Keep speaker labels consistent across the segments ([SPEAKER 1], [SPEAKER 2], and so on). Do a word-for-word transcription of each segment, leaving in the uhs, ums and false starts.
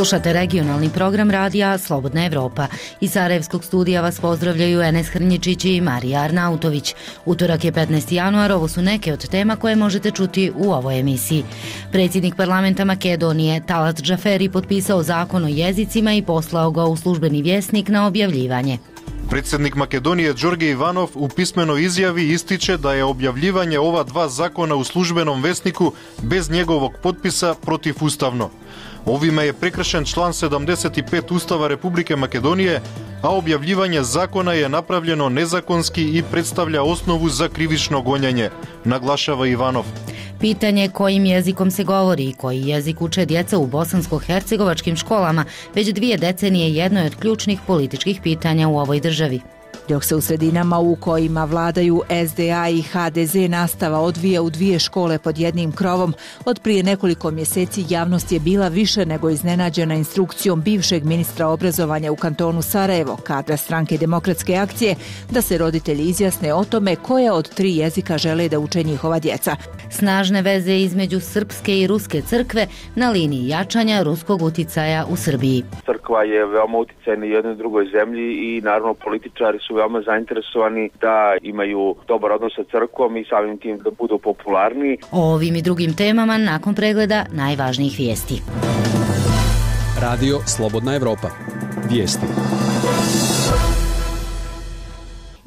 [SPEAKER 1] Slušate regionalni program radija Slobodna Evropa. Iz Sarajevskog studija vas pozdravljaju Enes Hrnjičić i Marija Arnautović. Utorak je petnaesti januar, ovo su neke od tema koje možete čuti u ovoj emisiji. Predsjednik parlamenta Makedonije Talat Džaferi potpisao zakon o jezicima i poslao ga u službeni vjesnik na objavljivanje.
[SPEAKER 2] Predsjednik Makedonije Đorđe Ivanov u pismenoj izjavi ističe da je objavljivanje ova dva zakona u službenom vesniku bez njegovog potpisa protivustavno. Ovime je prekršen član sedamdeset pet Ustava Republike Makedonije, a objavljivanje zakona je napravljeno nezakonski i predstavlja osnovu za krivično gonjenje, naglašava Ivanov.
[SPEAKER 1] Pitanje kojim jezikom se govori i koji jezik uče djeca u bosansko-hercegovačkim školama već dvije decenije jedno je od ključnih političkih pitanja u ovoj državi.
[SPEAKER 3] Dok se u sredinama u kojima vladaju S D A i H D Z nastava odvija u dvije škole pod jednim krovom, od prije nekoliko mjeseci javnost je bila više nego iznenađena instrukcijom bivšeg ministra obrazovanja u kantonu Sarajevo, kadra stranke Demokratske akcije, da se roditelji izjasne o tome koje od tri jezika žele da uče njihova djeca.
[SPEAKER 1] Snažne veze između srpske i ruske crkve na liniji jačanja ruskog uticaja u Srbiji.
[SPEAKER 4] Crkva je veoma uticajna u jednoj drugoj zemlji i naravno političari su veoma zainteresovani da imaju dobar odnos sa crkvom i samim tim da budu popularni.
[SPEAKER 1] O ovim i drugim temama nakon pregleda najvažnijih vijesti.
[SPEAKER 5] Radio Slobodna Evropa. Vijesti.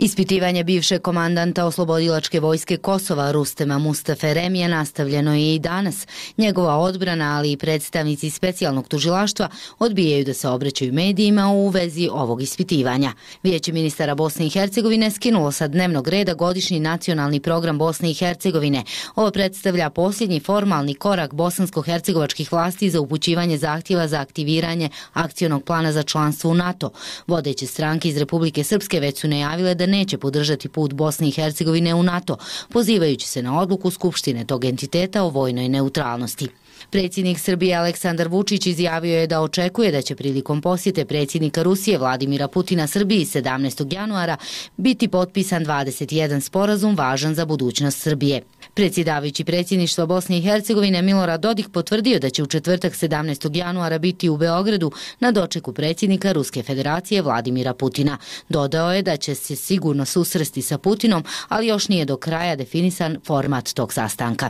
[SPEAKER 1] Ispitivanje bivšeg komandanta oslobodilačke vojske Kosova Rustema Mustafe Remija nastavljeno je i danas. Njegova odbrana, ali i predstavnici specijalnog tužilaštva odbijaju da se obraćaju medijima u vezi ovog ispitivanja. Vijeće ministara Bosne i Hercegovine skinulo sa dnevnog reda godišnji nacionalni program Bosne i Hercegovine. Ovo predstavlja posljednji formalni korak bosansko-hercegovačkih vlasti za upućivanje zahtjeva za aktiviranje akcionog plana za članstvo u NATO. Vodeće stranke iz Republike Srpske već su najavile da neće podržati put Bosne i Hercegovine u NATO, pozivajući se na odluku Skupštine tog entiteta o vojnoj neutralnosti. Predsjednik Srbije Aleksandar Vučić izjavio je da očekuje da će prilikom posjete predsjednika Rusije Vladimira Putina Srbiji sedamnaestog januara biti potpisan dvadeset jedan sporazum važan za budućnost Srbije. Predsjedavajući predsjedništva Bosne i Hercegovine Milorad Dodik potvrdio da će u četvrtak sedamnaestog januara biti u Beogradu na dočeku predsjednika Ruske federacije Vladimira Putina. Dodao je da će se sigurno susresti sa Putinom, ali još nije do kraja definisan format tog sastanka.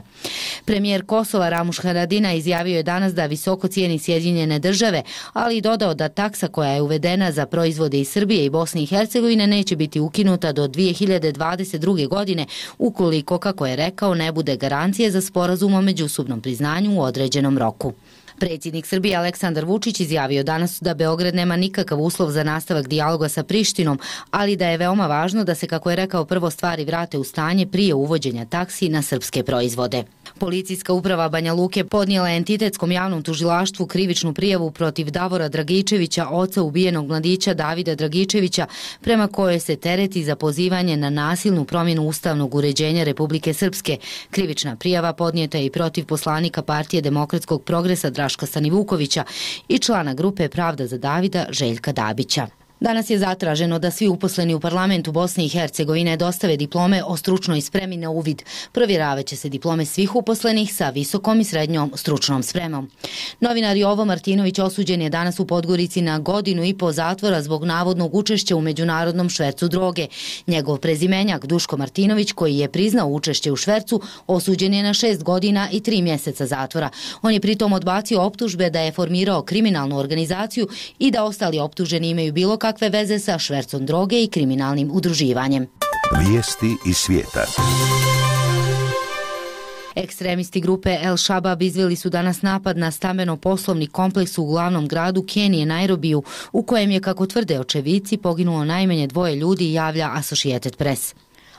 [SPEAKER 1] Premijer Kosova Ramuš Haradinaj izjavio je danas da visoko cijeni Sjedinjene države, ali i dodao da taksa koja je uvedena za proizvode iz Srbije i Bosne i Hercegovine neće biti ukinuta do dvije hiljade dvadeset druge. godine, ukoliko, kako je rekao, ne bude garancije za sporazum o međusobnom priznanju u određenom roku. Predsjednik Srbije Aleksandar Vučić izjavio danas da Beograd nema nikakav uslov za nastavak dijaloga sa Prištinom, ali da je veoma važno da se, kako je rekao, prvo stvari vrate u stanje prije uvođenja taksi na srpske proizvode. Policijska uprava Banja Luke podnijela entitetskom javnom tužilaštvu krivičnu prijavu protiv Davora Dragičevića, oca ubijenog mladića Davida Dragičevića, prema kojoj se tereti za pozivanje na nasilnu promjenu ustavnog uređenja Republike Srpske. Krivična prijava podnijeta je i protiv poslanika Partije demokratskog progresa Draška Stanivukovića i člana grupe Pravda za Davida Željka Dabića. Danas je zatraženo da svi uposleni u parlamentu Bosne i Hercegovine dostave diplome o stručnoj spremi na uvid. Provjeravat će se diplome svih uposlenih sa visokom i srednjom stručnom spremom. Novinar Jovo Martinović osuđen je danas u Podgorici na godinu i po zatvora zbog navodnog učešća u međunarodnom švercu droge. Njegov prezimenjak Duško Martinović, koji je priznao učešće u švercu, osuđen je na šest godina i tri mjeseca zatvora. On je pritom odbacio optužbe da je formirao kriminalnu organizaciju i da ostali optuženi imaju bilo kakve veze sa švercom droge i kriminalnim udruživanjem.
[SPEAKER 6] Vijesti iz svijeta.
[SPEAKER 1] Ekstremisti grupe El Shabab izveli su danas napad na stambeno-poslovni kompleks u glavnom gradu Kenije, Nairobiju, u kojem je, kako tvrde očevici, poginulo najmanje dvoje ljudi, javlja Associated Press.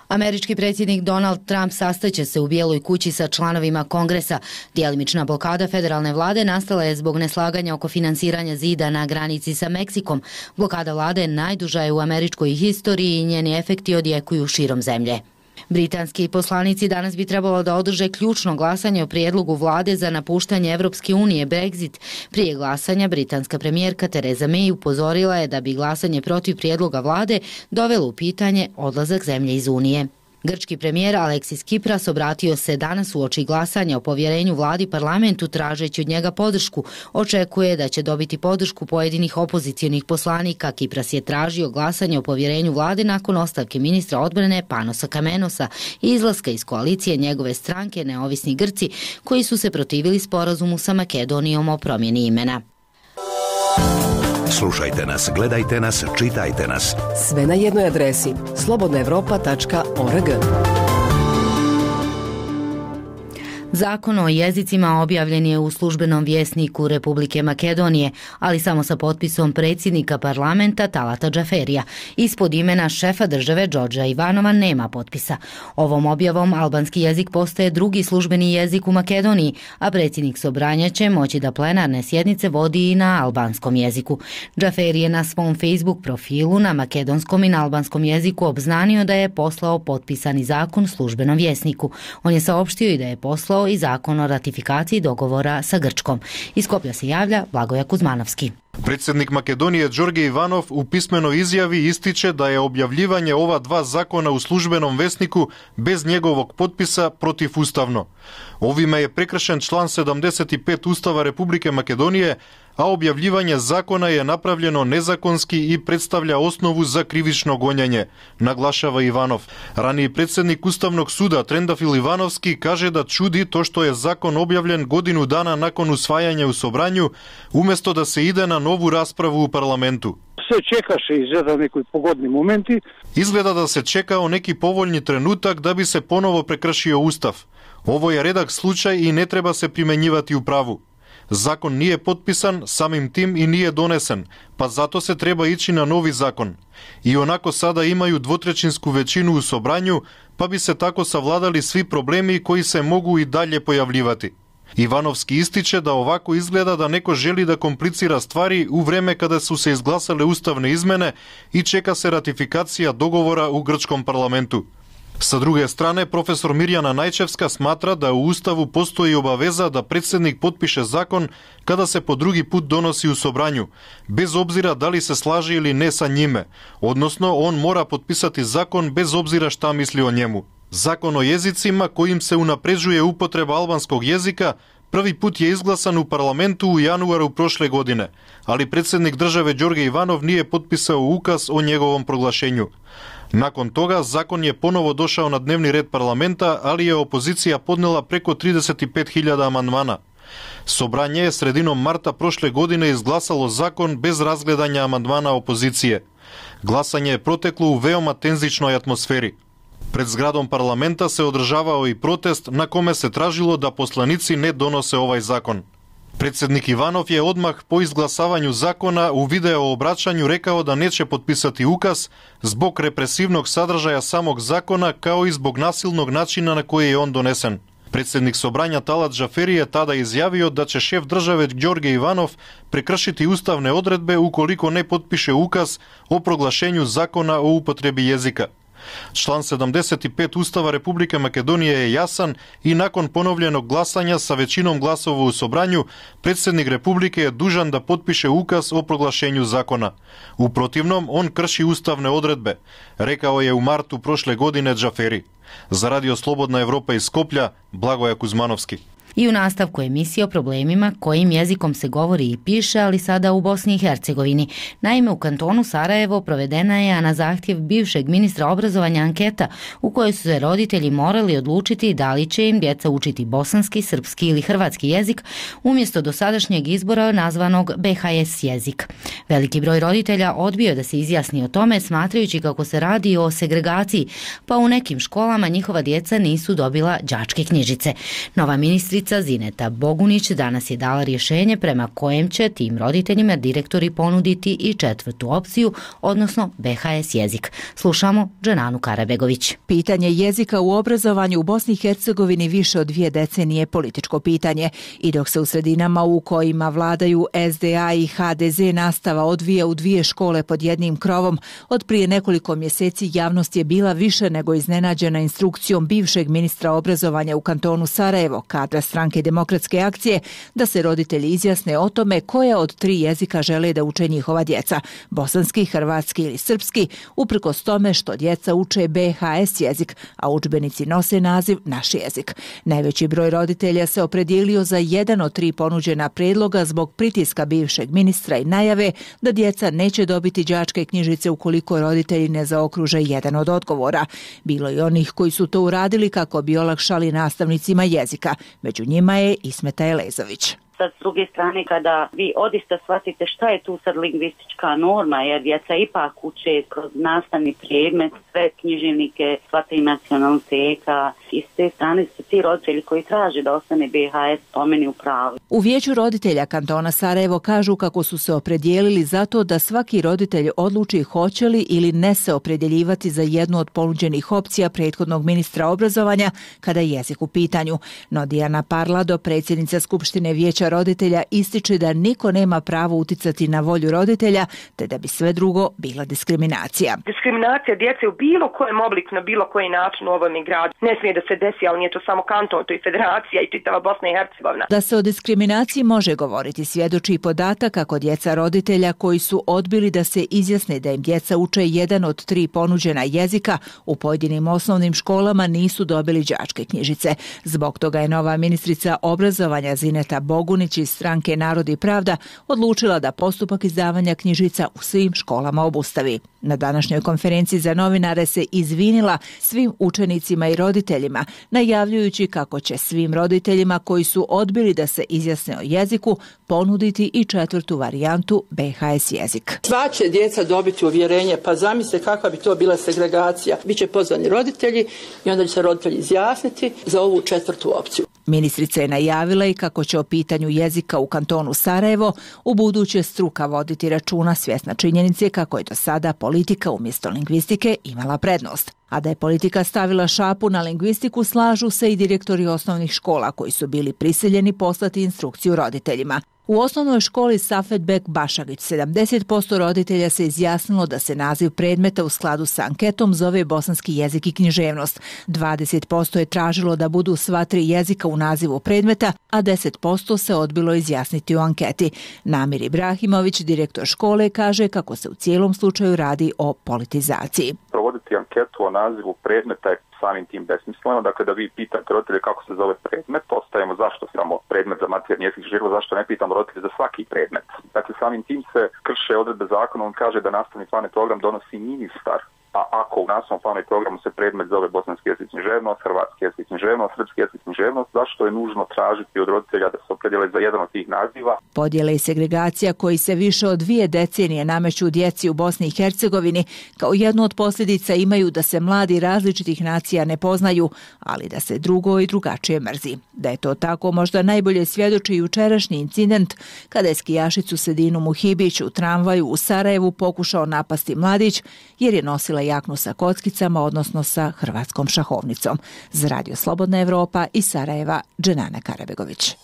[SPEAKER 1] Američki predsjednik Donald Trump sastaće se u Bijeloj kući sa članovima Kongresa. Djelimična blokada federalne vlade nastala je zbog neslaganja oko finansiranja zida na granici sa Meksikom. Blokada vlade najduža je u američkoj historiji i njeni efekti odjekuju širom zemlje. Britanski poslanici danas bi trebalo da održe ključno glasanje o prijedlogu vlade za napuštanje Evropske unije, Brexit. Prije glasanja britanska premijerka Theresa May upozorila je da bi glasanje protiv prijedloga vlade dovelo u pitanje odlazak zemlje iz Unije. Grčki premijer Aleksis Tsipras obratio se danas uoči glasanja o povjerenju vladi parlamentu tražeći od njega podršku. Očekuje da će dobiti podršku pojedinih opozicionih poslanika. Tsipras je tražio glasanje o povjerenju vlade nakon ostavke ministra odbrane Panosa Kamenosa i izlaska iz koalicije njegove stranke Neovisni Grci, koji su se protivili sporazumu sa Makedonijom o promjeni imena.
[SPEAKER 6] Slušajte nas, gledajte nas, čitajte nas.
[SPEAKER 7] Sve na jednoj adresi slobodna europa tačka org.
[SPEAKER 1] Zakon o jezicima objavljen je u službenom vjesniku Republike Makedonije, ali samo sa potpisom predsjednika parlamenta Talata Džaferija. Ispod imena šefa države Đorđa Ivanova nema potpisa. Ovom objavom albanski jezik postaje drugi službeni jezik u Makedoniji, a predsjednik Sobranja će moći da plenarne sjednice vodi i na albanskom jeziku. Džaferi je na svom Facebook profilu na makedonskom i na albanskom jeziku obznanio da je poslao potpisani zakon službenom vjesniku. On je saopštio i da je poslao i zakon o ratifikaciji dogovora sa Grčkom. Iz Skoplja se javlja Blagoja Kuzmanovski.
[SPEAKER 2] Predsjednik Makedonije Đorđe Ivanov u pismenoj izjavi ističe da je objavljivanje ova dva zakona u službenom vesniku bez njegovog potpisa protivustavno. Ovime je prekršen član sedamdeset pet Ustava Republike Makedonije, a objavljivanje zakona je napravljeno nezakonski i predstavlja osnovu za krivično gonjenje, naglašava Ivanov. Raniji predsjednik Ustavnog suda Trendafil Ivanovski kaže da čudi to što je zakon objavljen godinu dana nakon usvajanja u Sobranju, umjesto da se ide na novu raspravu u parlamentu.
[SPEAKER 8] Se čekaše izgleda neki pogodni momenti.
[SPEAKER 2] Izgleda da se čekao neki povoljni trenutak da bi se ponovo prekršio Ustav. Ovo je redak slučaj i ne treba se primjenjivati u pravu. Zakon nije potpisan, samim tim i nije donesen, pa zato se treba ići na novi zakon. I onako sada imaju dvotrećinsku većinu u Sobranju, pa bi se tako savladali svi problemi koji se mogu i dalje pojavljivati. Ivanovski ističe da ovako izgleda da neko želi da komplicira stvari u vreme kada su se izglasale ustavne izmene i čeka se ratifikacija dogovora u grčkom parlamentu. Sa druge strane, profesor Mirjana Najčevska smatra da u Ustavu postoji obaveza da predsjednik potpiše zakon kada se po drugi put donosi u Sobranju, bez obzira da li se slaže ili ne sa njime, odnosno on mora potpisati zakon bez obzira šta misli o njemu. Zakon o jezicima kojim se unapređuje upotreba albanskog jezika prvi put je izglasan u parlamentu u januaru prošle godine, ali predsjednik države Đorđe Ivanov nije potpisao ukaz o njegovom proglašenju. Nakon toga zakon je ponovo došao na dnevni red parlamenta, ali je opozicija podnela preko trideset pet hiljada amandmana. Sobranje je sredinom marta prošle godine izglasalo zakon bez razgledanja amandmana opozicije. Glasanje je proteklo u veoma tenzičnoj atmosferi. Pred zgradom parlamenta se održavao i protest na kome se tražilo da poslanici ne donose ovaj zakon. Predsjednik Ivanov je odmah po izglasavanju zakona u video obraćanju rekao da neće potpisati ukaz zbog represivnog sadržaja samog zakona kao i zbog nasilnog načina na koji je on donesen. Predsjednik Sobranja Talat Džaferi je tada izjavio da će šef države Đorđe Ivanov prekršiti ustavne odredbe ukoliko ne potpiše ukaz o proglašenju zakona o upotrebi jezika. Član sedamdeset pet Ustava Republike Makedonije je jasan i nakon ponovljenog glasanja sa većinom glasova u Sobranju, predsjednik Republike je dužan da potpiše ukaz o proglašenju zakona. U protivnom, on krši ustavne odredbe, rekao je u martu prošle godine Džaferi. Za Radio Slobodna Evropa iz Skoplja, Blagoja Kuzmanovski.
[SPEAKER 1] I u nastavku emisije o problemima kojim jezikom se govori i piše, ali sada u Bosni i Hercegovini. Naime, u kantonu Sarajevo provedena je na zahtjev bivšeg ministra obrazovanja anketa u kojoj su se roditelji morali odlučiti da li će im djeca učiti bosanski, srpski ili hrvatski jezik umjesto dosadašnjeg izbora nazvanog be ha es jezik. Veliki broj roditelja odbio da se izjasni o tome, smatrajući kako se radi o segregaciji, pa u nekim školama njihova djeca nisu dobila đačke knjižice. Nova ministrica Zineta Bogunić danas je dala rješenje prema kojem će tim roditeljima direktori ponuditi i četvrtu opciju, odnosno be ha es jezik. Slušamo Dženanu Karabegović.
[SPEAKER 3] Pitanje jezika u obrazovanju u Bosni i Hercegovini više od dvije decenije političko pitanje i dok se u sredinama u kojima vladaju es de a i ha de ze nastava odvija u dvije škole pod jednim krovom, od prije nekoliko mjeseci javnost je bila više nego iznenađena instrukcijom bivšeg ministra obrazovanja u kantonu Sarajevo, Kadra stranke Demokratske akcije da se roditelji izjasne o tome koja od tri jezika žele da uče njihova djeca, bosanski, hrvatski ili srpski, uprkos tome što djeca uče be ha es jezik, a udžbenici nose naziv naš jezik. Najveći broj roditelja se opredijelio za jedan od tri ponuđena predloga zbog pritiska bivšeg ministra i najave da djeca neće dobiti đačke knjižice ukoliko roditelji ne zaokruže jedan od odgovora. Bilo je onih koji su to uradili kako bi olakšali nastavnicima jezika. Među njima je Ismeta Elezović.
[SPEAKER 9] Sad, s druge strane, kada vi odista shvatite šta je tu sad lingvistička norma, jer djeca ipak uče kroz nastavni predmet, sve književnike, sva tri nacionaliteta, i s te strane su ti roditelji koji traže da ostane be ha es po meni u pravu.
[SPEAKER 3] U vijeću roditelja kantona Sarajevo kažu kako su se opredijelili za to da svaki roditelj odluči hoće li ili ne se opredjeljivati za jednu od ponuđenih opcija prethodnog ministra obrazovanja kada je jezik u pitanju. No Dijana Parlado, predsjednica Skupštine vijeća roditelja, ističe da niko nema pravo uticati na volju roditelja, te da bi sve drugo bila diskriminacija.
[SPEAKER 10] Diskriminacija djece u bilo kojem obliku, na bilo koji način u ovom gradu ne smije da se desi, ali nije to samo kanton, to i federacija i čitava Bosna i Hercegovina.
[SPEAKER 3] Da se o diskriminaciji može govoriti svjedoči i podatak kako djeca roditelja koji su odbili da se izjasne da im djeca uče jedan od tri ponuđena jezika u pojedinim osnovnim školama nisu dobili đačke knjižice. Zbog toga je nova ministrica obrazovanja Zineta Bogunić iz stranke Narod i pravda odlučila da postupak izdavanja knjižica u svim školama obustavi. Na današnjoj konferenciji za novinare se izvinila svim učenicima i roditeljima, najavljujući kako će svim roditeljima koji su odbili da se izjasne o jeziku ponuditi i četvrtu varijantu be ha es jezik.
[SPEAKER 11] Sva će djeca dobiti uvjerenje, pa zamislite kakva bi to bila segregacija. Biće pozvani roditelji i onda će se roditelji izjasniti za ovu četvrtu opciju.
[SPEAKER 3] Ministrica je najavila i kako će o pitanju jezika u kantonu Sarajevo u buduće struka voditi računa, svjesna činjenice kako je do sada politika umjesto lingvistike imala prednost. A da je politika stavila šapu na lingvistiku, slažu se i direktori osnovnih škola koji su bili prisiljeni poslati instrukciju roditeljima. U osnovnoj školi Safet Bek Bašagić sedamdeset posto roditelja se izjasnilo da se naziv predmeta u skladu sa anketom zove bosanski jezik i književnost. dvadeset posto je tražilo da budu sva tri jezika u nazivu predmeta, a deset posto se odbilo izjasniti u anketi. Namir Ibrahimović, direktor škole, kaže kako se u cijelom slučaju radi o politizaciji.
[SPEAKER 12] Provoditi anketu o nazivu predmeta je samim tim besmisleno, dakle da vi pitate roditelje kako se zove predmet, ostajemo zašto samo predmet za materijalni jezik život, zašto ne pitamo roditelje za svaki predmet. Dakle samim tim se krše odredbe zakona, on kaže da nastavni plan i program donosi ministar, a ako u nastavnom planu i programu se predmet zove bosanski jezik i književnost, hrvatski jezik i književnost, srpski jezik i književnost, zašto je nužno tražiti od roditelja da se opredijele za jedan od tih naziva?
[SPEAKER 3] Podjele i segregacija koji se više od dvije decenije nameću djeci u Bosni i Hercegovini kao jednu od posljedica imaju da se mladi različitih nacija ne poznaju, ali da se drugo i drugačije mrzi. Da je to tako možda najbolje svjedoči jučerašnji incident kada je skijašicu Sedinu Muhibić u tramvaju u Sarajevu pokušao napasti mladić jer je nosila jaknu sa kockicama, odnosno sa hrvatskom šahovnicom. Za Radio Slobodna Evropa iz Sarajeva, Dženana Karabegović.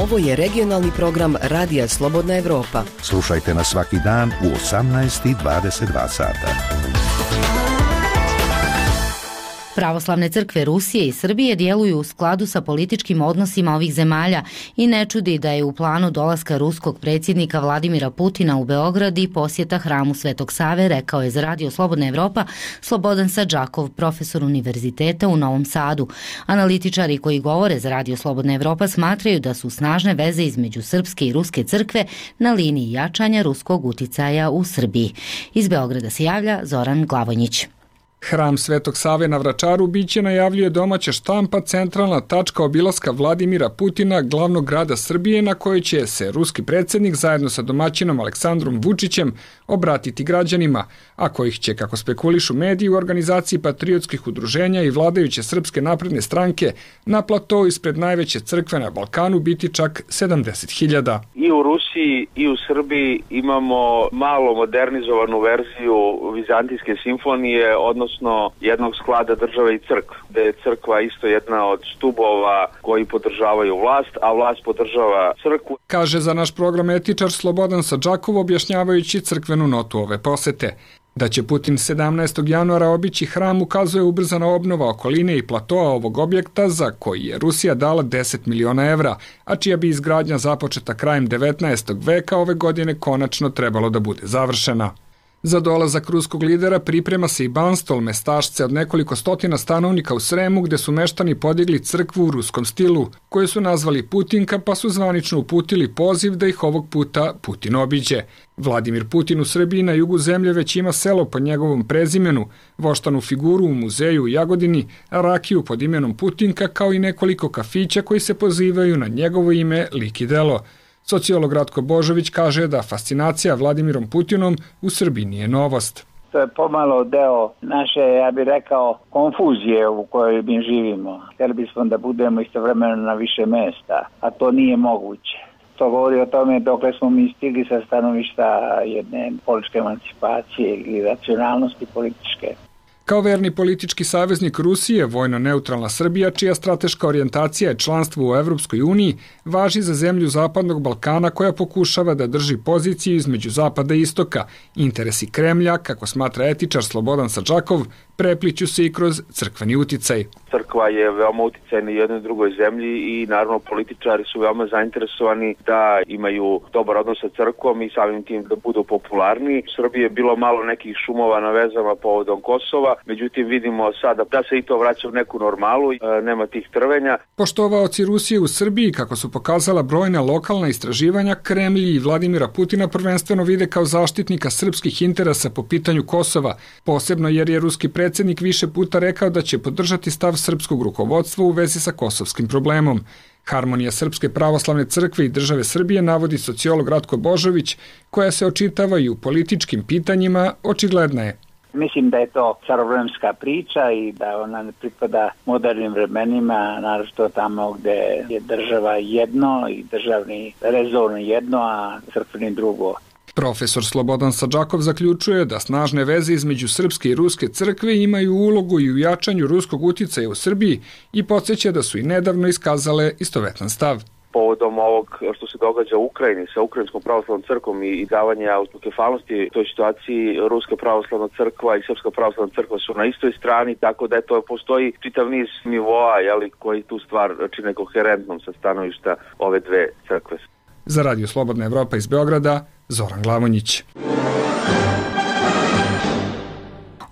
[SPEAKER 7] Ovo je regionalni program Radija Slobodna Evropa.
[SPEAKER 6] Slušajte nas svaki dan u osamnaest i dvadeset dva sata.
[SPEAKER 1] Pravoslavne crkve Rusije i Srbije djeluju u skladu sa političkim odnosima ovih zemalja i ne čudi da je u planu dolaska ruskog predsjednika Vladimira Putina u Beograd i posjeta hramu Svetog Save, rekao je za Radio Slobodna Evropa Slobodan Sadžakov, profesor univerziteta u Novom Sadu. Analitičari koji govore za Radio Slobodna Evropa smatraju da su snažne veze između srpske i ruske crkve na liniji jačanja ruskog uticaja u Srbiji. Iz Beograda se javlja Zoran Glavonjić.
[SPEAKER 13] Hram Svetog Save na Vračaru biće, najavljuje domaća štampa, centralna tačka obilaska Vladimira Putina, glavnog grada Srbije, na kojoj će se ruski predsjednik zajedno sa domaćinom Aleksandrom Vučićem obratiti građanima, a kojih će, kako spekulišu mediji, u organizaciji patriotskih udruženja i vladajuće Srpske napredne stranke na platou ispred najveće crkve na Balkanu biti čak sedamdeset hiljada.
[SPEAKER 4] I u Rusiji i u Srbiji imamo malo modernizovanu verziju vizantijske simfonije, odnosno jednog sklada države i crkve, gde je crkva isto jedna od stubova koji podržavaju vlast, a vlast podržava crkvu.
[SPEAKER 13] Kaže za naš program etičar Slobodan Sadžakov, objašnjavajući crkvenu notu ove posete. Da će Putin sedamnaestog januara obići hram ukazuje ubrzana obnova okoline i platoa ovog objekta za koji je Rusija dala deset miliona evra, a čija bi izgradnja započeta krajem devetnaestog veka ove godine konačno trebalo da bude završena. Za dolazak ruskog lidera priprema se i Banstol, mestašce od nekoliko stotina stanovnika u Sremu gde su meštani podigli crkvu u ruskom stilu, koju su nazvali Putinka pa su zvanično uputili poziv da ih ovog puta Putin obiđe. Vladimir Putin u Srbiji na jugu zemlje već ima selo pod njegovom prezimenu, voštanu figuru u muzeju u Jagodini, rakiju pod imenom Putinka kao i nekoliko kafića koji se pozivaju na njegovo ime, lik i delo. Sociolog Ratko Božović kaže da fascinacija Vladimirom Putinom u Srbiji nije novost.
[SPEAKER 14] To je pomalo deo naše, ja bih rekao, konfuzije u kojoj mi živimo. Htjeli bismo da budemo istovremeno na više mesta, a to nije moguće. To govori o tome dokle smo mi stigli sa stanovišta jedne političke emancipacije ili racionalnosti političke.
[SPEAKER 13] Kao verni politički saveznik Rusije, vojno-neutralna Srbija, čija strateška orijentacija je članstvo u Evropskoj uniji, važi za zemlju Zapadnog Balkana koja pokušava da drži poziciju između Zapada i Istoka. Interesi Kremlja, kako smatra etičar Slobodan Sadžakov, prepliću se i kroz crkveni uticaj.
[SPEAKER 4] Crkva je veoma uticajna u jednoj drugoj zemlji i naravno političari su veoma zainteresovani da imaju dobar odnos sa crkvom i samim tim da budu popularni. U Srbiji je bilo malo nekih šumova na vezama povodom Kosova, međutim vidimo sada da se i to vraća u neku normalu, nema tih trvenja.
[SPEAKER 13] Poštovaoci Rusije u Srbiji, kako su pokazala brojna lokalna istraživanja, Kremlj i Vladimira Putina prvenstveno vide kao zaštitnika srpskih interesa po pitanju Kosova, posebno jer je ruski predsjednik više puta rekao da će podržati stav srpskog rukovodstva u vezi sa kosovskim problemom. Harmonija Srpske pravoslavne crkve i države Srbije, navodi sociolog Ratko Božović, koja se očitava i u političkim pitanjima, očigledna je.
[SPEAKER 14] Mislim da je to starovremska priča i da ona ne pripada modernim vremenima, naročito tamo gde je država jedno i državni rezon jedno, a crkveni drugo.
[SPEAKER 13] Profesor Slobodan Sadžakov zaključuje da snažne veze između srpske i ruske crkve imaju ulogu i u jačanju ruskog uticaja u Srbiji i podsjeća da su i nedavno iskazale istovetan stav.
[SPEAKER 4] Povodom ovog što se događa u Ukrajini sa Ukrajinskom pravoslavnom crkvom i davanja autokefalnosti toj situaciji, Ruska pravoslavna crkva i Srpska pravoslavna crkva su na istoj strani, tako da to postoji čitav niz nivoa, jeli, koji tu stvar čine koherentnom sa stanovišta ove dve crkve.
[SPEAKER 13] Za Radio Slobodna Evropa iz Beograda, Zoran Glavonjić.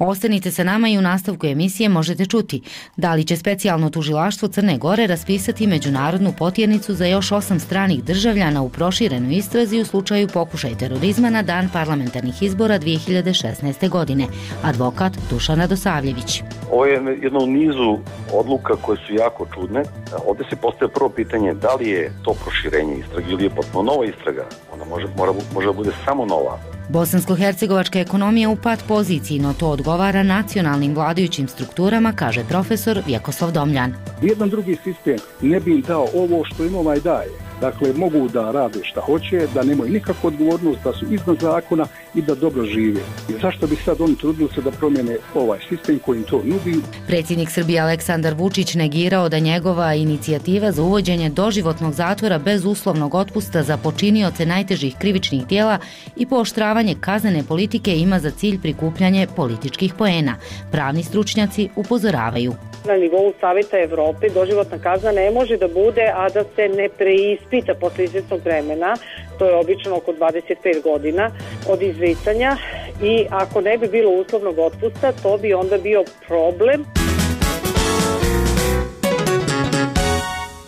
[SPEAKER 1] Ostanite sa nama i u nastavku emisije možete čuti da li će specijalno tužilaštvo Crne Gore raspisati međunarodnu potjernicu za još osam stranih državljana u proširenoj istrazi u slučaju pokušaj terorizma na dan parlamentarnih izbora dvije hiljade šesnaeste. godine. Advokat Dušan Radosavljević.
[SPEAKER 15] Ovo je jedno u nizu odluka koje su jako čudne. Ovdje se postaje prvo pitanje da li je to proširenje istrage ili je potpuno nova istraga. Ona može, mora, može da bude samo nova.
[SPEAKER 1] Bosansko-hercegovačka ekonomija u pad poziciji, no to odgovara nacionalnim vladajućim strukturama, kaže profesor Vjekoslav Domljan.
[SPEAKER 8] Jedan drugi sistem ne bi im dao ovo što im ovaj daje. Dakle, mogu da rade šta hoće, da nemaju nikakvu odgovornost, da su iznad zakona i da dobro žive. I zašto bi sad oni trudili se da promijene ovaj sistem koji im to nudi?
[SPEAKER 1] Predsjednik Srbije Aleksandar Vučić negirao da njegova inicijativa za uvođenje doživotnog zatvora bez uslovnog otpusta za počinioce najtežih krivičnih djela i pooštravanje kaznene politike ima za cilj prikupljanje političkih poena. Pravni stručnjaci upozoravaju.
[SPEAKER 16] Na nivou Saveta Evrope doživotna kazna ne može da bude, a da se ne preispita posle izvjesnog vremena, to je obično oko dvadeset pet godina od izricanja, i ako ne bi bilo uslovnog otpusta, to bi onda bio problem.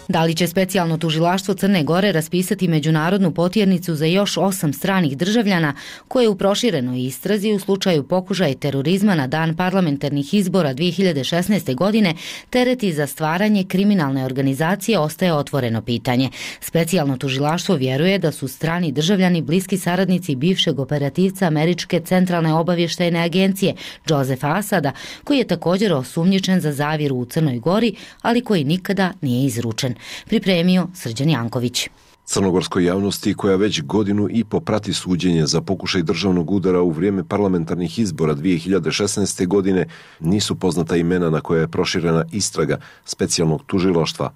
[SPEAKER 1] Da li će specijalno tužilaštvo Crne Gore raspisati međunarodnu potjernicu za još osam stranih državljana koje u proširenoj istrazi u slučaju pokušaja terorizma na dan parlamentarnih izbora dvije hiljade šesnaeste. godine tereti za stvaranje kriminalne organizacije ostaje otvoreno pitanje. Specijalno tužilaštvo vjeruje da su strani državljani bliski saradnici bivšeg operativca Američke centralne obavještajne agencije Josefa Asada, koji je također osumnjičen za zavjeru u Crnoj Gori, ali koji nikada nije izručen. Pripremio Srđan Janković.
[SPEAKER 17] Crnogorskoj javnosti, koja već godinu i po prati suđenje za pokušaj državnog udara u vrijeme parlamentarnih izbora dvije hiljade šesnaeste. godine, nisu poznata imena na koja je proširena istraga specijalnog tužilaštva.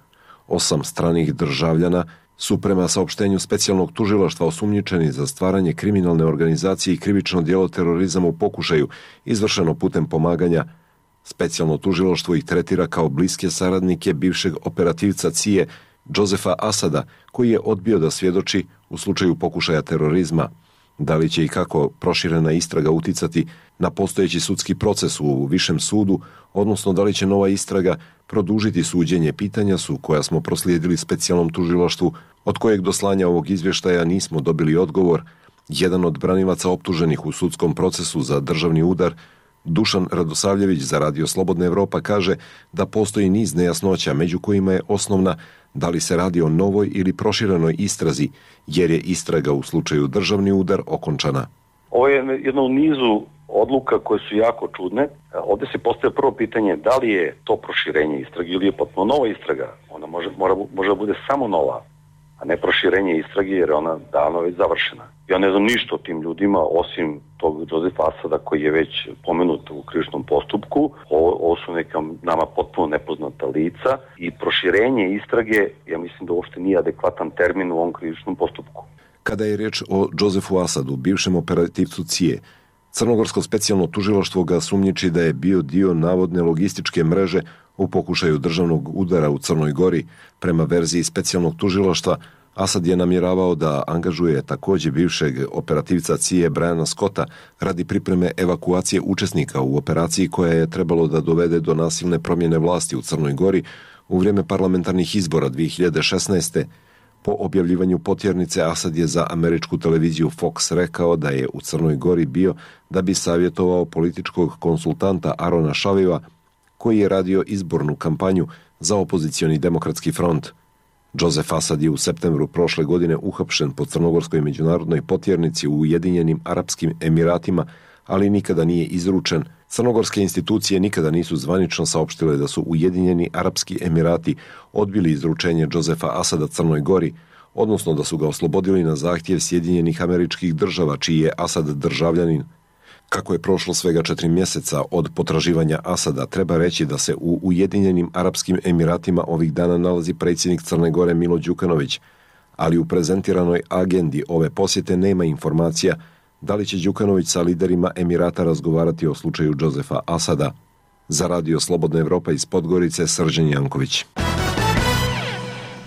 [SPEAKER 17] Osam stranih državljana su prema saopštenju specijalnog tužilaštva osumnjičeni za stvaranje kriminalne organizacije i krivično djelo terorizama u pokušaju, izvršeno putem pomaganja. Specijalno tužilaštvo ih tretira kao bliske saradnike bivšeg operativca C I E Josefa Asada, koji je odbio da svjedoči u slučaju pokušaja terorizma. Da li će i kako proširena istraga uticati na postojeći sudski proces u višem sudu, odnosno da li će nova istraga produžiti suđenje, pitanja su koja smo proslijedili specijalnom tužilaštvu, od kojeg do slanja ovog izvještaja nismo dobili odgovor. Jedan od branilaca optuženih u sudskom procesu za državni udar, Dušan Radosavljević za Radio Slobodna Evropa, kaže da postoji niz nejasnoća, među kojima je osnovna da li se radi o novoj ili proširenoj istrazi, jer je istraga u slučaju državni udar okončana.
[SPEAKER 15] Ovo je jedno u nizu odluka koje su jako čudne. Ovdje se postavlja prvo pitanje da li je to proširenje istrage ili je potpuno nova istraga. Ona može, mora, može da bude samo nova, a ne proširenje istrage jer je ona davno već završena. Ja ne znam ništa o tim ljudima osim tog Josefa Asada koji je već pomenut u krivičnom postupku. Ovo, ovo su neka nama potpuno nepoznata lica i proširenje istrage, ja mislim da uopšte nije adekvatan termin u ovom krivičnom postupku.
[SPEAKER 17] Kada je riječ o Josefu Asadu, bivšem operativcu C I E, Crnogorsko specijalno tužilaštvo ga sumnjiči da je bio dio navodne logističke mreže u pokušaju državnog udara u Crnoj Gori. Prema verziji specijalnog tužilaštva, Asad je namjeravao da angažuje također bivšeg operativca C I E Briana Scotta radi pripreme evakuacije učesnika u operaciji koja je trebalo da dovede do nasilne promjene vlasti u Crnoj Gori u vrijeme parlamentarnih izbora dvije hiljade šesnaeste. Po objavljivanju potjernice, Asad je za američku televiziju Fox rekao da je u Crnoj Gori bio da bi savjetovao političkog konsultanta Arona Šaviva, koji je radio izbornu kampanju za opozicioni demokratski front. Josef Asad je u septembru prošle godine uhapšen po crnogorskoj međunarodnoj potjernici u Ujedinjenim Arapskim Emiratima, ali nikada nije izručen. Crnogorske institucije nikada nisu zvanično saopštile da su Ujedinjeni Arapski Emirati odbili izručenje Josefa Asada Crnoj Gori, odnosno da su ga oslobodili na zahtjev Sjedinjenih Američkih Država, čiji je Asad državljanin. Kako je prošlo svega četiri mjeseca od potraživanja Asada, treba reći da se u Ujedinjenim Arapskim Emiratima ovih dana nalazi predsjednik Crne Gore Milo Đukanović, ali u prezentiranoj agendi ove posjete nema informacija da li će Đukanović sa liderima Emirata razgovarati o slučaju Josefa Asada. Za Radio Slobodna Evropa iz Podgorice, Srđan Janković.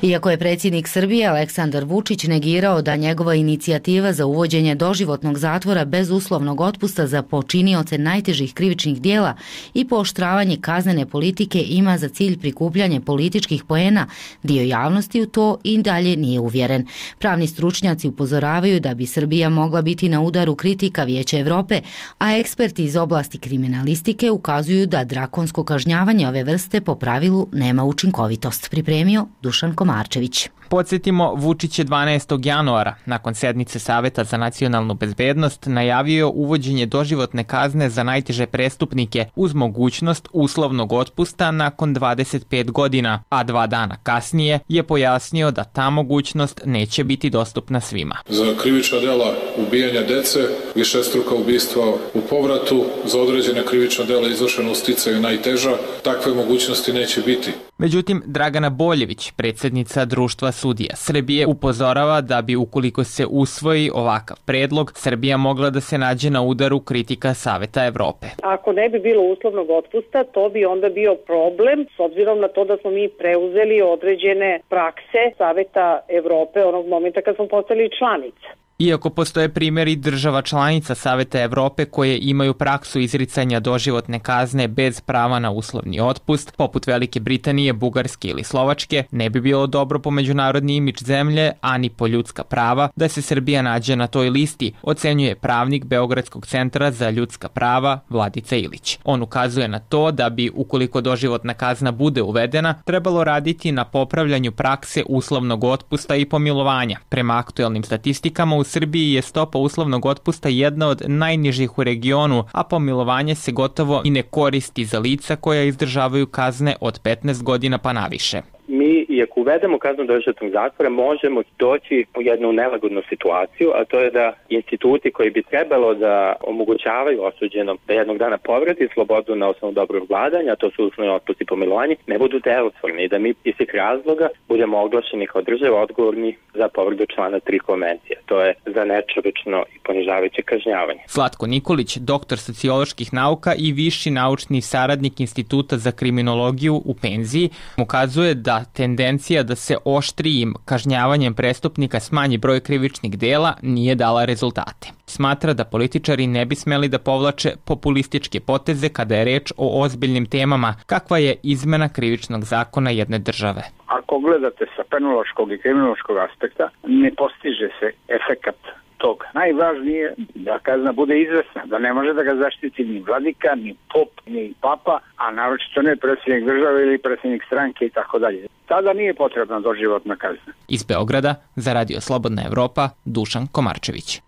[SPEAKER 1] Iako je predsjednik Srbije Aleksandar Vučić negirao da njegova inicijativa za uvođenje doživotnog zatvora bez uslovnog otpusta za počinioce najtežih krivičnih dijela i pooštravanje kaznene politike ima za cilj prikupljanje političkih poena, dio javnosti u to i dalje nije uvjeren. Pravni stručnjaci upozoravaju da bi Srbija mogla biti na udaru kritika Vijeća Evrope, a eksperti iz oblasti kriminalistike ukazuju da drakonsko kažnjavanje ove vrste po pravilu nema učinkovitost. Pripremio Dušan Komarčević. Marčević.
[SPEAKER 18] Podsjetimo, Vučić je dvanaestog januara, nakon sednice Saveta za nacionalnu bezbednost, najavio uvođenje doživotne kazne za najteže prestupnike uz mogućnost uslovnog otpusta nakon dvadeset pet godina, a dva dana kasnije je pojasnio da ta mogućnost neće biti dostupna svima.
[SPEAKER 19] Za krivična dela ubijanja dece, višestruka ubistva u povratu, za određene krivična dela izvršena u sticaju najteža, takve mogućnosti neće biti.
[SPEAKER 18] Međutim, Dragana Boljević, predsjednica Društva sudija Srbije, upozorava da bi ukoliko se usvoji ovakav predlog, Srbija mogla da se nađe na udaru kritika Saveta Evrope.
[SPEAKER 16] Ako ne bi bilo uslovnog otpusta, to bi onda bio problem, s obzirom na to da smo mi preuzeli određene prakse Saveta Evrope onog momenta kad smo postali članica.
[SPEAKER 18] Iako postoje primjeri država članica Saveta Evrope koje imaju praksu izricanja doživotne kazne bez prava na uslovni otpust, poput Velike Britanije, Bugarske ili Slovačke, ne bi bilo dobro po međunarodni imidž zemlje, ani po ljudska prava, da se Srbija nađe na toj listi, ocenjuje pravnik Beogradskog centra za ljudska prava Vladica Ilić. On ukazuje na to da bi, ukoliko doživotna kazna bude uvedena, trebalo raditi na popravljanju prakse uslovnog otpusta i pomilovanja. Prema aktuelnim statistikama, u Srbiji je stopa uslovnog otpusta jedna od najnižih u regionu, a pomilovanje se gotovo i ne koristi za lica koja izdržavaju kazne od petnaest godina pa naviše.
[SPEAKER 20] mi, i ako uvedemo kaznu doživotnog zatvora, možemo doći u jednu nelagodnu situaciju, a to je da instituti koji bi trebalo da omogućavaju osuđenom da jednog dana povrati slobodu na osnovu dobrog vladanja, a to su uslovni otpust i pomilovanje, ne budu delotvorni i da mi iz tih razloga budemo oglašeni kao država odgovorni za povredu člana tri konvencije. To je za nečovečno i ponižavajuće kažnjavanje.
[SPEAKER 18] Slatko Nikolić, doktor socioloških nauka i viši naučni saradnik Instituta za kriminologiju u penziji, ukazuje da tendencija da se oštrijim kažnjavanjem prestupnika smanji broj krivičnih dela nije dala rezultate. Smatra da političari ne bi smeli da povlače populističke poteze kada je reč o ozbiljnim temama, kakva je izmena krivičnog zakona jedne države.
[SPEAKER 14] Ako gledate sa penološkog i kriminološkog aspekta, ne postiže se efekat toga. Najvažnije je da kazna bude izvesna, da ne može da ga zaštiti ni vladika, ni pop, ni papa, a naročito ne predsjednik države ili predsjednik stranke i tako dalje. Tada nije potrebna doživotna kazna.
[SPEAKER 18] Iz Beograda za Radio Slobodna Evropa, Dušan Komarčević.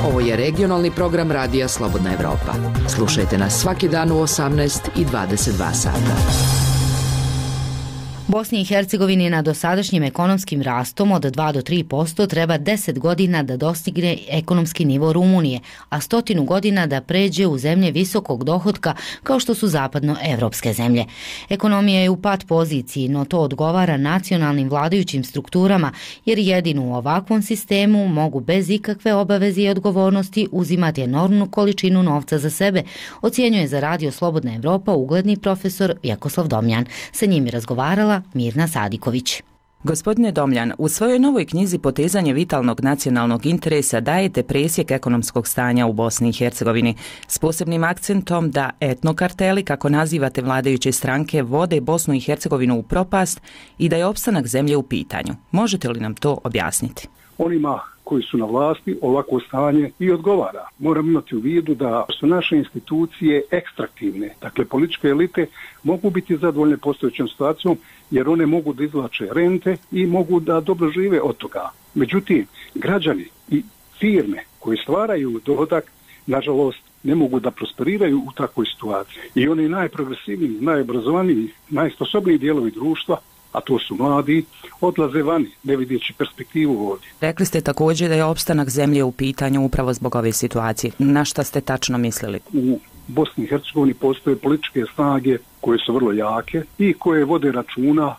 [SPEAKER 7] Ovo je regionalni program Radija Slobodna Evropa. Slušajte nas svaki dan u osamnaest i dvadeset dva sata.
[SPEAKER 1] Bosni i Hercegovini na dosadašnjim ekonomskim rastom od dva do tri posto treba deset godina da dostigne ekonomski nivo Rumunije, a stotinu godina da pređe u zemlje visokog dohotka kao što su zapadnoevropske zemlje. Ekonomija je u pad poziciji, no to odgovara nacionalnim vladajućim strukturama, jer jedino u ovakvom sistemu mogu bez ikakve obaveze i odgovornosti uzimati enormnu količinu novca za sebe, ocjenjuje za Radio Slobodna Evropa ugledni profesor Vjekoslav Domjan. Sa njim je razgovarala Mirna Sadiković.
[SPEAKER 21] Gospodine Domljan, u svojoj novoj knjizi Potezanje vitalnog nacionalnog interesa dajete presjek ekonomskog stanja u Bosni i Hercegovini s posebnim akcentom da etnokarteli, kako nazivate vladajuće stranke, vode Bosnu i Hercegovinu u propast i da je opstanak zemlje u pitanju. Možete li nam to objasniti?
[SPEAKER 8] Onima koji su na vlasti ovako stanje i odgovara. Moramo imati u vidu da su naše institucije ekstraktivne. Dakle, političke elite mogu biti zadovoljne postojećom situacijom jer one mogu da izvlače rente i mogu da dobro žive od toga. Međutim, građani i firme koji stvaraju dohodak, nažalost, ne mogu da prosperiraju u takvoj situaciji. I oni najprogresivniji, najobrazovaniji, najsposobniji dijelovi društva, a to su mladi, odlaze vani, ne vidjeći perspektivu ovdje.
[SPEAKER 21] Rekli ste također da je opstanak zemlje u pitanju upravo zbog ove situacije. Na šta ste tačno mislili?
[SPEAKER 8] U Bosni i Hercegovini postoje političke snage koje su vrlo jake i koje vode računa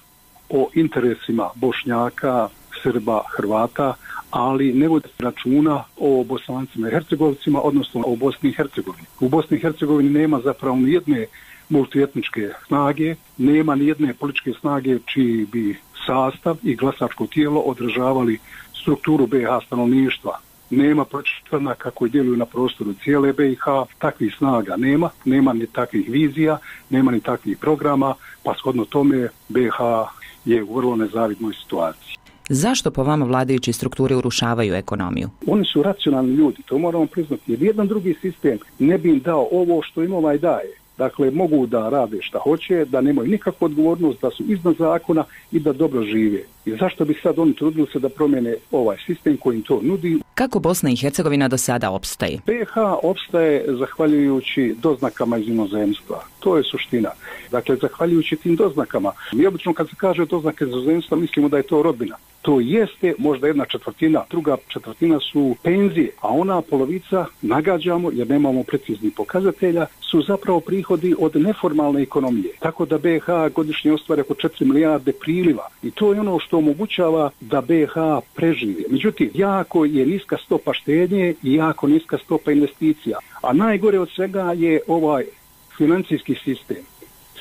[SPEAKER 8] o interesima Bošnjaka, Srba, Hrvata, ali ne vode računa o Bosancima i Hercegovcima, odnosno o Bosni i Hercegovini. U Bosni i Hercegovini nema zapravo ni jedne multietničke snage, nema ni jedne političke snage čiji bi sastav i glasačko tijelo odražavali strukturu B i H stanovništva. Nema politička koji djeluju na prostoru cijele B i H, takvih snaga nema, nema ni takvih vizija, nema ni takvih programa, pa shodno tome B i H je u vrlo nezavidnoj situaciji.
[SPEAKER 21] Zašto po vama vladajući strukture urušavaju ekonomiju?
[SPEAKER 8] Oni su racionalni ljudi, to moramo priznati, jer jedan drugi sistem ne bi im dao ovo što im ovaj daje. Dakle, mogu da rade šta hoće, da nemaju nikakvu odgovornost, da su iznad zakona i da dobro žive. I zašto bi sad oni trudili se da promijene ovaj sistem koji im to nudi?
[SPEAKER 21] Kako Bosna i Hercegovina do sada opstaje?
[SPEAKER 8] B i H opstaje zahvaljujući doznakama iz inozemstva. To je suština. Dakle, zahvaljujući tim doznakama. Mi obično kad se kaže doznake iz inozemstva mislimo da je to rodbina. To jeste možda jedna četvrtina, druga četvrtina su penzije, a ona polovica, nagađamo jer nemamo preciznih pokazatelja, su zapravo prihodi od neformalne ekonomije. Tako da B i H godišnje ostvari oko četiri milijarde priliva i to je ono što omogućava da B i H prežive. Međutim, jako je niska stopa štednje i jako niska stopa investicija. A najgore od svega je ovaj financijski sistem.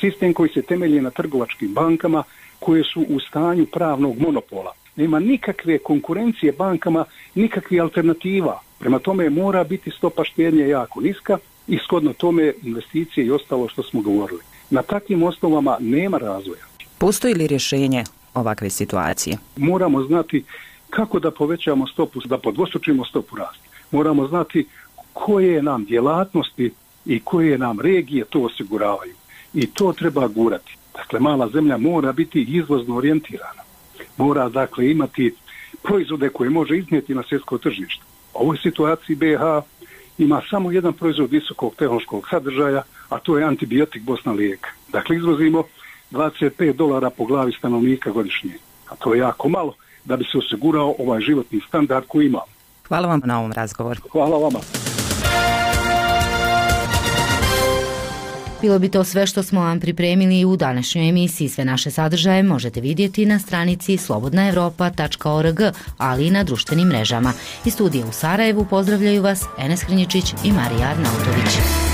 [SPEAKER 8] Sistem koji se temelji na trgovačkim bankama koje su u stanju pravnog monopola. Nema nikakve konkurencije bankama, nikakvih alternativa. Prema tome mora biti stopa štednje jako niska i shodno tome investicije i ostalo što smo govorili. Na takvim osnovama nema razvoja.
[SPEAKER 21] Postoji li rješenje ovakve situacije?
[SPEAKER 8] Moramo znati kako da povećamo stopu, da podvostručimo stopu rasta. Moramo znati koje nam djelatnosti i koje nam regije to osiguravaju. I to treba gurati. Dakle, mala zemlja mora biti izvozno orijentirana. Mora, dakle, imati proizvode koje može iznijeti na svjetsko tržište. U ovoj situaciji B i H ima samo jedan proizvod visokog tehnološkog sadržaja, a to je antibiotik Bosna lijek. Dakle, izvozimo dvadeset pet dolara po glavi stanovnika godišnje. A to je jako malo da bi se osigurao ovaj životni standard koji imamo.
[SPEAKER 21] Hvala vam na ovom razgovoru.
[SPEAKER 8] Hvala vama.
[SPEAKER 1] Bilo bi to sve što smo vam pripremili u današnjoj emisiji. Sve naše sadržaje možete vidjeti na stranici slobodna evropa tačka org, ali i na društvenim mrežama. Iz studija u Sarajevu pozdravljaju vas Enes Hrnječić i Marija Arnautović.